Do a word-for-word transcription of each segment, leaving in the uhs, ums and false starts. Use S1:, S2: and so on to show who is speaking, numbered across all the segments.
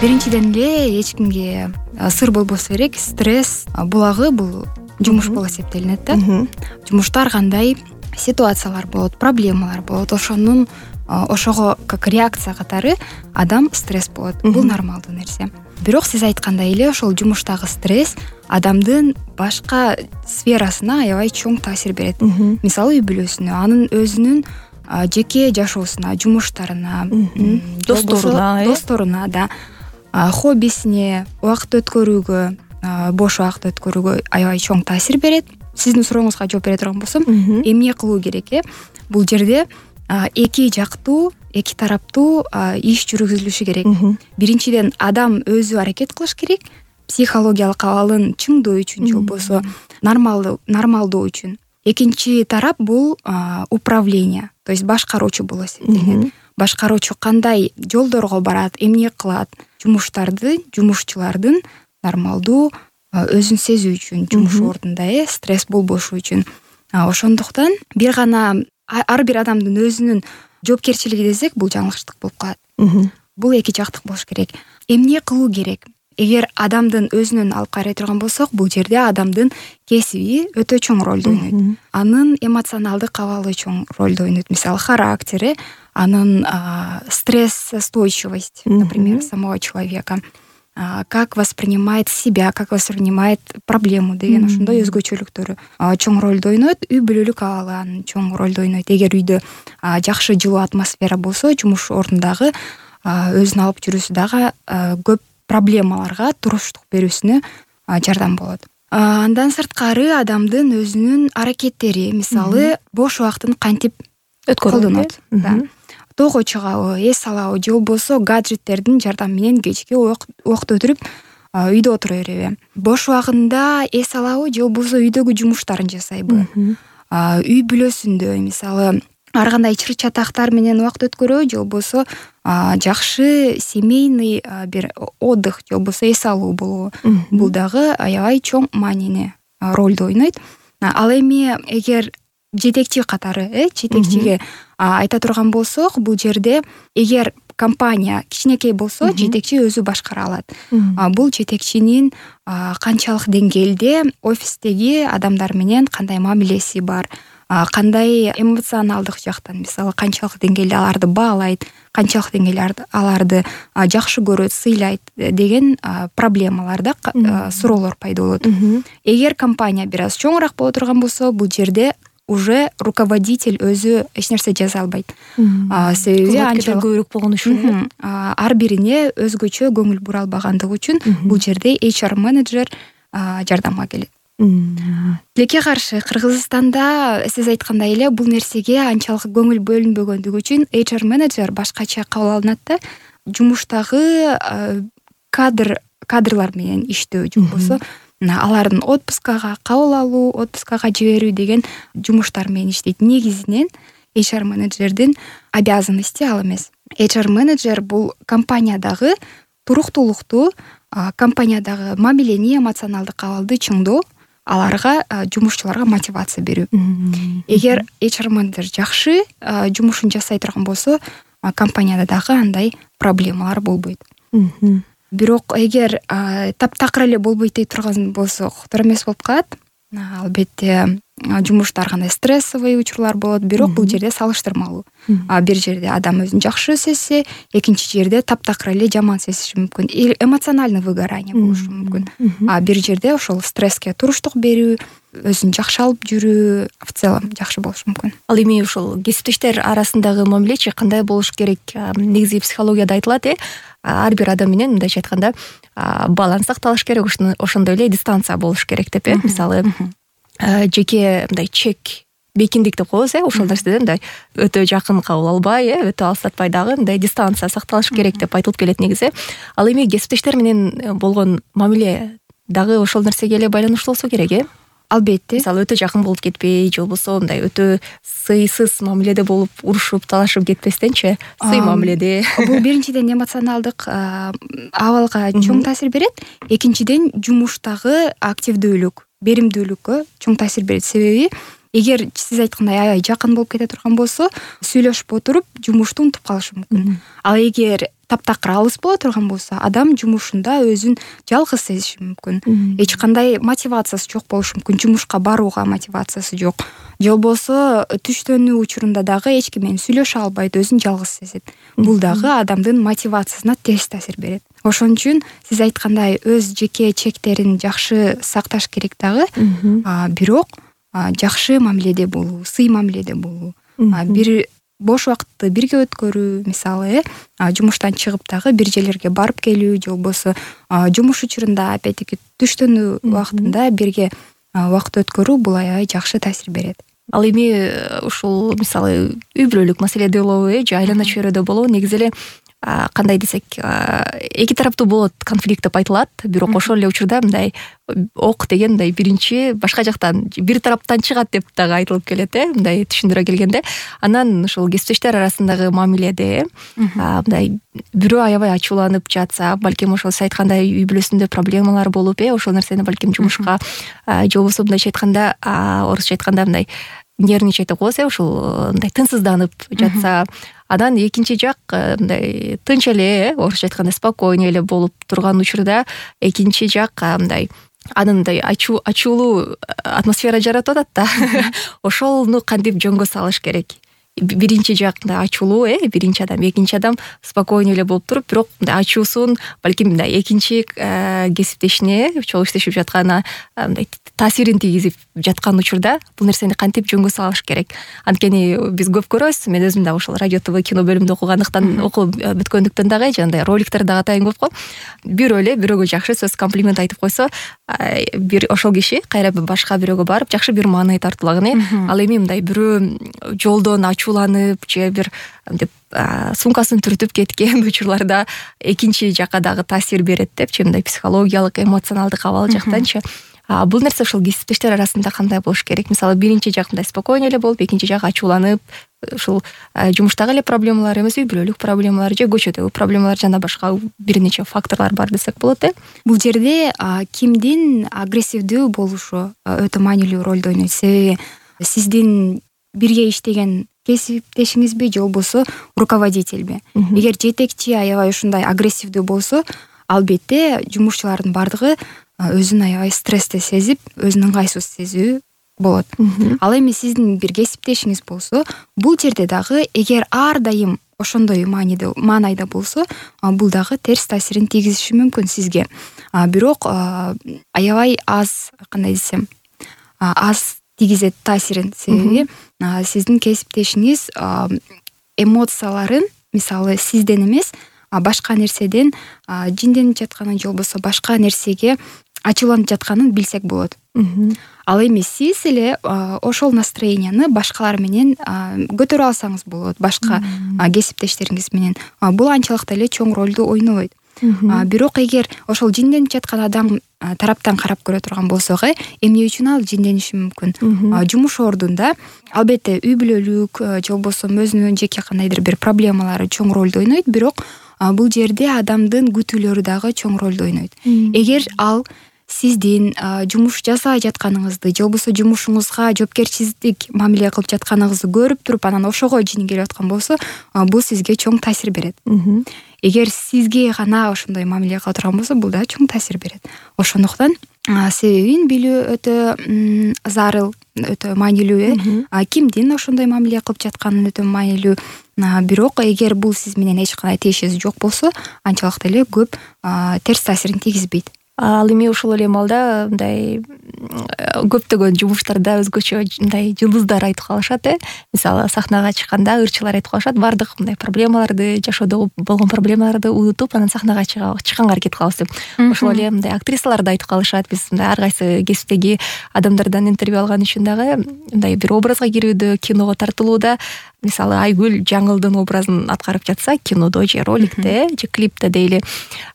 S1: Биринчиден эле эч кимге сыр болбосо керек, стресс булагы бул жумуш болуп эсептелинет да. Жумушта ар кандай ситуациялар болот, проблемалар болот. Ошонун ошого как реакция катары адам стресс болот. Бул нормалдуу нерсе. Бирок сиз айткандай эле ошол жумуштагы стресс адамдын башка сферасына аябай чоң таасир берет. Мисалы үй бүлөсүнө, анын өзүнүн жеке жашоосуна, жумуштарына,
S2: досторуна,
S1: досторуна да, хоббисине, убакыт өткөрүүгө, бош убакыт өткөрүүгө аябай чоң таасир берет. Сиздин сурооңузга жооп бере турган болсом, эмне кылуу керек э? Бул жерде эки жактуу, эки тараптуу иш жүргүзүлүшү керек. Биринчиден адам өзү аракет кылыш керек, психологиялык абалын чыңдоо үчүн, же болбосо нормалдуу нормалдуу үчүн. Экинчи тарап бул управление, то есть башкаруучу болуп эсептелет. Башкаруучу кандай жолдорго барат, эмне кылат, жумуштарды, жумушчулардын нормалдуу өзүн сезүү үчүн, жумуш ордунда э стресс болбошу үчүн. Ошондуктан бир гана ар бир адамдын өзүнүн жоопкерчилиги десек, бул жаңылыштык болуп калат. Бул эки жактык болуш керек. Эмне кылуу керек? Эгер адамдын өзүнөн алып карай турган болсок, бул жерде адамдын кесиби өтө чоң ролду ойнойт. Анын эмоционалдык абалы чоң ролду ойнойт. Мисалы характери, анын стрессоустойчивость, например, самого человека. Как воспринимает себя, как воспринимает проблему деген ошондой өзгөчөлүктөрү чоң ролду ойнойт. Үй бүлөлүк абалы анын чоң ролду ойнойт. Эгер үйдө жакшы жылуу атмосфера болсо, жумуш ордундагы өзүн алып жүрүүсү дагы көп проблемаларга туруштук берүүсүнө жардам болот. Андан сырткары адамдын өзүнүн аракеттери, мисалы, бош убактын кантип колдонот. Тоого чыгабы, эс алабы, же болбосо гаджеттердин жардамы менен кечки убакыт өтүрүп үйдө отура береби? Бош убагында эс алабы, же болбосо үйдөгү жумуштарын жасайбы? Үй бүлөсүндө, мисалы, ар кандай чыр-чатактар менен убакыт өткөрөбү, же болбосо жакшы семейный бир отдых, же болбосо эс алуу болобу? Бул дагы аябай чоң маанини ролду ойнойт. Ал эми эгер жетекчи катары, э, жетекчиге айта турган болсок, бул жерде эгер компания кичинекей болсо, жетекчи өзү башкара алат. Бул жетекчинин канчалык деңгээлде офистеги адамдар менен кандай мамилеси бар, кандай эмоционалдык жактан, мисалы, канчалык деңгээлде аларды баалайт, канчалык деңгээлде аларды жакшы көрөт, сыйлайт деген проблемаларда суроолор пайда болот. Эгер компания бир аз чоңураак боло турган болсо, бул жерде уже руководитель өзү эч нерсе жаза албайт. Себеби
S2: анчалык көбүрөөк болгон үчүн
S1: ар бирине өзгөчө көңүл бура албагандыгы үчүн бул жерде эйч ар менеджер жардамга келет. Тилекке каршы, Кыргызстанда сиз айткандай эле бул нерсеге анчалык көңүл бөлүнбөгөндүгү үчүн эйч ар менеджер башкача кабыл алынат да. Жумуштагы кадр кадрлар менен иштөө, же болбосо алардын отпускага кабыл алуу, отпускага жиберүү деген жумуштар менен иштейт. Негизинен эйч ар менеджердин обязанности ал эмес. эйч ар менеджер бул компаниядагы туруктуулукту, компаниядагы мамилени, эмоционалдык абалды чыңдоо, аларга, жумушчуларга мотивация берүү. Эгер эйч ар менеджер жакшы жумушун жасай турган болсо, компанияда дагы андай проблемалар болбойт. Бирок эгер таптакыр эле болбойт дей турган болсок, туура эмес болуп калат. Албетте жумушта ар кандай стрессовый учурлар болот, бирок бул жерде салыштырмалуу. Бир жерде адам өзүн жакшы сезсе, экинчи жерде таптакыр эле жаман сезиши мүмкүн. Эмоциональный выгорание болушу мүмкүн. А бир жерде ошол стресске туруштук берүү, өзүн жакшы алып жүрүү в целом жакшы болушу мүмкүн.
S2: Ал эми ошол кесиптештер арасындагы мамилечи кандай болуш керек? Негизи психологияда айтылат, э, ар бир адам менен мындайча айтканда баланс сакталыш керек, ошондой эле дистанция болуш керек деп, э. Мисалы, жеке мындай чек, бекиндик деп коебуз, э, ошол нерседен мындай өтө жакын кабыл албай, э, өтө алыстатпай дагы мындай дистанция сакталыш керек деп айтылып келет негизи. Ал эми кесиптештер менен болгон мамиле дагы ошол нерсеге эле байланыштуу болсо керек, э.
S1: Албетте.
S2: Мисалы, өтө жакын болуп кетпей, же болбосо мындай өтө сыйсыз мамиледе болуп, урушуп, талашып кетпестенчи, сый мамиледе.
S1: Бул биринчиден эмоционалдык абалга чоң таасир берет. Экинчиден жумуштагы активдүүлүк, беримдүүлүккө чоң таасир берет. Себеби эгер сиз айткандай аябай жакын болуп кете турган болсо, сүйлөшүп отуруп жумушту унутуп калышы мүмкүн. Ал эгер таптакыр алыс боло турган болсо, адам жумушунда өзүн жалгыз сезиши мүмкүн. Эч кандай мотивациясы жок болушу мүмкүн, жумушка барууга мотивациясы жок. Же болбосо түштөнүү учурунда дагы эч ким менен сүйлөшө албайт, өзүн жалгыз сезет. Бул дагы адамдын мотивациясына терс таасир берет. Ошон үчүн сиз айткандай өз жеке чектерин жакшы сакташ керек дагы, бирок жакшы мамиледе болуу, сый мамиледе болуу, бир бош убакытты бирге өткөрүү, мисалы, э жумуштан чыгып дагы бир жерлерге барып келүү, же болбосо жумуш учурунда опять-таки түштөнүү убактында бирге убакыт өткөрүү, бул аябай жакшы таасир берет.
S2: Ал эми ушул мисалы үй бүлөлүк маселеде болобу, э же айлана чөйрөдө болобу, негизи эле кандай десек, эки тараптуу болот конфликт деп айтылат, бирок ошол эле учурда мындай ок деген мындай биринчи башка жактан, бир тараптан чыгат деп дагы айтылып келет, э мындай түшүндүрө келгенде. Анан ушул кесиптештер арасындагы мамиледе мындай бирөө аябай ачууланып жатса, балким ошол сиз айткандай үй бүлөсүндө проблемалар болуп, э ошол нерсени балким жумушка, же болбосо мындайча айтканда, орусча айтканда мындай нервничать деп коебуз, э ушул мындай тынчсызданып жатса, анан экинчи жак мындай тынч эле, орусча айтканда спокойный эле болуп турган учурда, экинчи жак мындай анын мындай ачуулуу атмосфера жаратып атат да. Ошолну кантип жөнгө салыш керек? Биринчи жак мындай ачуулуу, э биринчи адам, экинчи адам спокойный эле болуп туруп, бирок мындай ачуусун балким мындай экинчи кесиптешине, чогуу иштешип жатканына мындай таасирин тийгизип жаткан учурда бул нерсени кантип жөнгө салыш керек? Анткени биз көп көрөбүз, мен өзүм дагы ошол радио ТВ кино бөлүмүндө окугандыктан, окуп бүткөндүктөн дагы жандай роликтер дагы атайын көп го. Бирөө эле бирөөгө жакшы сөз, комплимент айтып койсо, бир ошол киши кайра башка бирөөгө барып жакшы бир маанай тартуулаган, э ал эми мындай бирөө жолдон ачууланып же бир деп сумкасын түртүп кеткен учурларда экинчи жакка дагы таасир берет депчи, мындай психологиялык, эмоционалдык абал жактанчы. Бул нерсе ушул кесиптештер арасында кандай болуш керек? Мисалы, биринчи жак мындай спокойный эле болуп, экинчи жак ачууланып, ушул жумуштагы эле проблемалар эмес, үй бүлөлүк проблемалар же көчөдөгү проблемалар жана башка бир нече факторлор бар десек болот, э?
S1: Бул жерде кимдин агрессивдүү болушу өтө маанилүү ролду ойнойт. Себеби сиздин бирге иштеген кесиптешиңизби же болбосо руководительби? Эгер жетекчи аябай ушундай агрессивдүү болсо, албетте жумушчулардын бардыгы өзүн аябай стрессте сезип, өзүн ыңгайсыз сезүү болот. Ал эми сиздин бир кесиптешиңиз болсо, бул жерде дагы эгер ар дайым ошондой маанайда маанайда болсо, бул дагы терс таасирин тийгизиши мүмкүн сизге. Бирок аябай аз, кандай десем, аз тийгизет таасирин. Себеби сиздин кесиптешиңиз эмоцияларын, мисалы, сизден эмес, башка нерседен жинденип жатканын же болбосо башка нерсеге ачууланып жатканын билсек болот. Ал эми сиз эле ошол настроенияны башкалар менен көтөрө алсаңыз болот, башка кесиптештериңиз менен. Бул анчалык эле чоң ролду ойнобойт. Бирок эгер ошол жинденип жаткан адам тараптан карап көрө турган болсок, эмне үчүн ал жиндениши мүмкүн? Жумуш ордунда албетте үй бүлөлүк же болбосо өзүнүн жеке кандайдыр бир проблемалары чоң ролду ойнойт, бирок бул жерде адамдын күтүүлөрү дагы чоң ролду ойнойт. Эгер ал сиздин жумуш жасай жатканыңызды же болбосо жумушуңузга жоопкерчилик мамиле кылып жатканыңызды көрүп туруп, анан ошого жини келип аткан болсо, бул сизге чоң таасир берет. Эгер сизге гана ошондой мамиле кыла турган болсо, бул да чоң таасир берет. Ошондуктан себебин билүү өтө зарыл, өтө маанилүү, э кимдин ошондой мамиле кылып жатканын өтө маанилүү. Бирок эгер бул сиз менен эч кандай тиешеси жок болсо, анчалык деле көп терс таасирин тийгизбейт.
S2: Ал эми ушул эле маалда мындай көптөгөн жумуштарда өзгөчө мындай жылдыздар айтып калышат, э мисалы, сахнага чыкканда ырчылар айтып калышат, бардык мындай проблемаларды, жашоодо болгон проблемаларды унутуп, анан сахнага чыкканга аракет кылабыз деп. Ошол эле мындай актрисалар да айтып калышат, биз мындай ар кайсы кесиптеги адамдардан интервью алган үчүн дагы мындай бир образга кирүүдө, киного тартылууда, мисалы, Айгүл Жаңылдын образын аткарып жатса, кинодо же роликте же клипте дейли,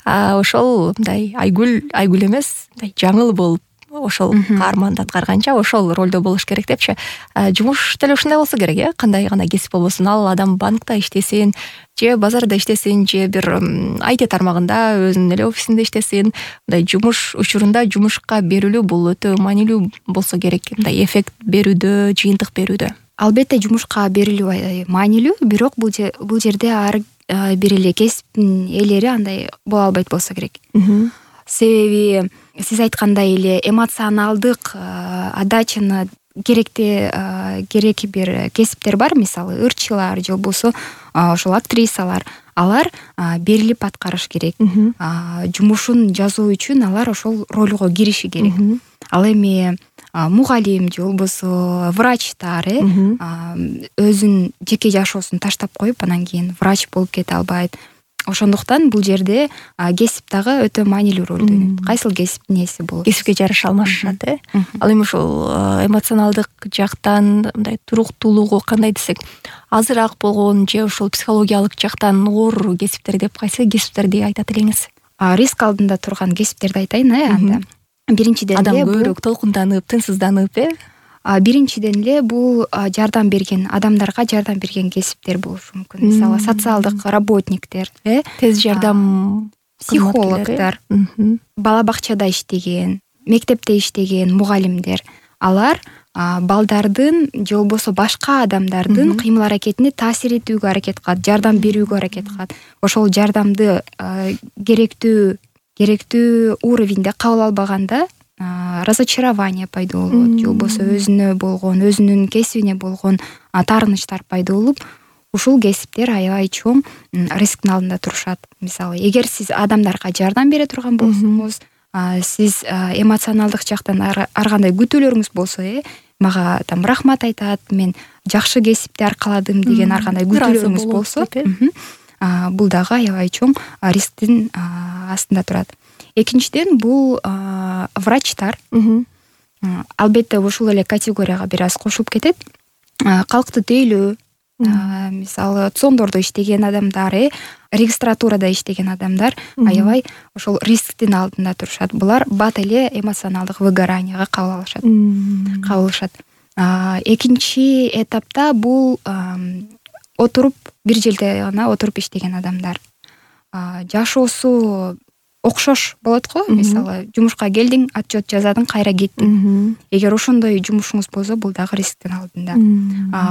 S2: ошол мындай Айгүл Айгүл эмес, мындай жаңыл болуп, ошол каарманды аткарганча ошол ролдо болуш керек депчи. Жумуш деле ушундай болсо керек, э кандай гана кесип болбосун, ал адам банкта иштесин, же базарда иштесин, же бир ай ти тармагында өзүнүн эле офисинде иштесин, мындай жумуш учурунда жумушка берилүү бул өтө маанилүү болсо керек, мындай эффект берүүдө, жыйынтык берүүдө.
S1: Албетте жумушка берилүү маанилүү, бирок бул бул жерде ар бир эле кесиптин ээлери андай боло албайт болсо керек. Себеби сиз айткандай эле эмоционалдык отдачаны керекти кереки бир кесиптер бар, мисалы ырчылар же болбосо ошол актрисалар. Алар берилип аткарыш керек. Жумушун жазуу үчүн алар ошол ролго кириши керек. Ал эми мугалим же болбосо врачтар өзүнүн жеке жашоосун таштап коюп анан кийин врач болуп кете албайт. Ошондуктан бул жерде кесип дагы өтө маанилүү ролду ойнойт. Кайсыл кесиптин ээси болот?
S2: Кесипке жараша алмашышат, э? Ал эми ошол эмоционалдык жактан мындай туруктуулугу кандай десек, азыраак болгон же ошол психологиялык жактан оор кесиптер деп кайсы кесиптерди айтат элеңиз?
S1: Риск алдында турган кесиптерди айтайын, э, анда. Биринчиден
S2: эле адам көбүрөөк толкунданып, тынчсызданып, э?
S1: Биринчиден эле бул жардам берген адамдарга жардам берген кесиптер болушу мүмкүн. Мисалы социалдык работниктер, э,
S2: тез жардам
S1: психологдор, бала бакчада иштеген, мектепте иштеген мугалимдер. Алар балдардын же болбосо башка адамдардын кыймыл аракетине таасир этүүгө аракет кылат, жардам берүүгө аракет кылат. Ошол жардамды керектүү керектүү уровеньде кабыл албаганда разочарование пайда болот, же болбосо өзүнө болгон, өзүнүн кесибине болгон таарынычтар пайда болуп, ушул кесиптер аябай чоң рисктин алдында турушат. Мисалы, эгер сиз адамдарга жардам бере турган болсоңуз, сиз эмоционалдык жактан ар кандай күтүүлөрүңүз болсо, э, мага там рахмат айтат, мен жакшы кесипти аркаладым деген ар кандай күтүүлөрүңүз болсо, бул дагы аябай чоң рисктин астында турат. Экинчиден бул врачтар. Албетте ушул эле категорияга бир аз кошулуп кетет. Калкты тейлөө, мисалы цондордо иштеген адамдар, э, регистратурада иштеген адамдар аябай ошол рисктин алдында турушат. Булар бат эле эмоционалдык выгоранияга кабыл алышат. Кабылышат. Экинчи этапта бул отуруп бир жерде гана отуруп иштеген адамдар. Жашоосу окшош болот го, мисалы жумушка келдиң, отчет жазадың, кайра кеттиң. Эгер ошондой жумушуңуз болсо, бул дагы рисктин алдында.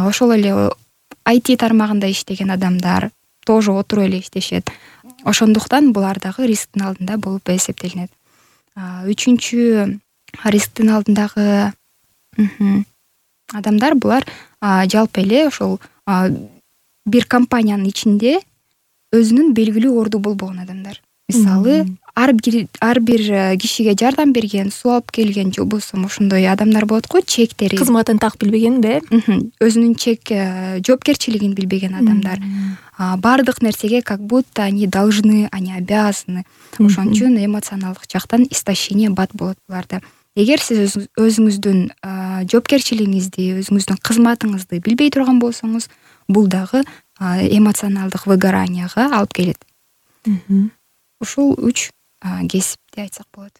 S1: Ошол эле ай ти тармагында иштеген адамдар тоже отуруп эле иштешет. Ошондуктан булар дагы рисктин алдында болуп эсептелинет. Үчүнчү рисктин алдындагы адамдар булар жалпы эле ошол бир компаниянын ичинде өзүнүн белгилүү орду болбогон адамдар. Мисалы, ар бир ар бир кишиге жардам берген, суу алып келген же болбосо ошондой адамдар болот го, чектери,
S2: кызматын так билбеген да,
S1: өзүнүн чек жоопкерчилигин билбеген адамдар. Бардык нерсеге как будто они должны, они обязаны. Ошон үчүн эмоционалдык жактан истощение бат болот буларда. Эгер сиз өзүңүздүн жоопкерчилигиңизди, өзүңүздүн кызматыңызды билбей турган болсоңуз, бул дагы эмоционалдык выгоранияга алып келет. Ушул үч кесипти айтсак болот.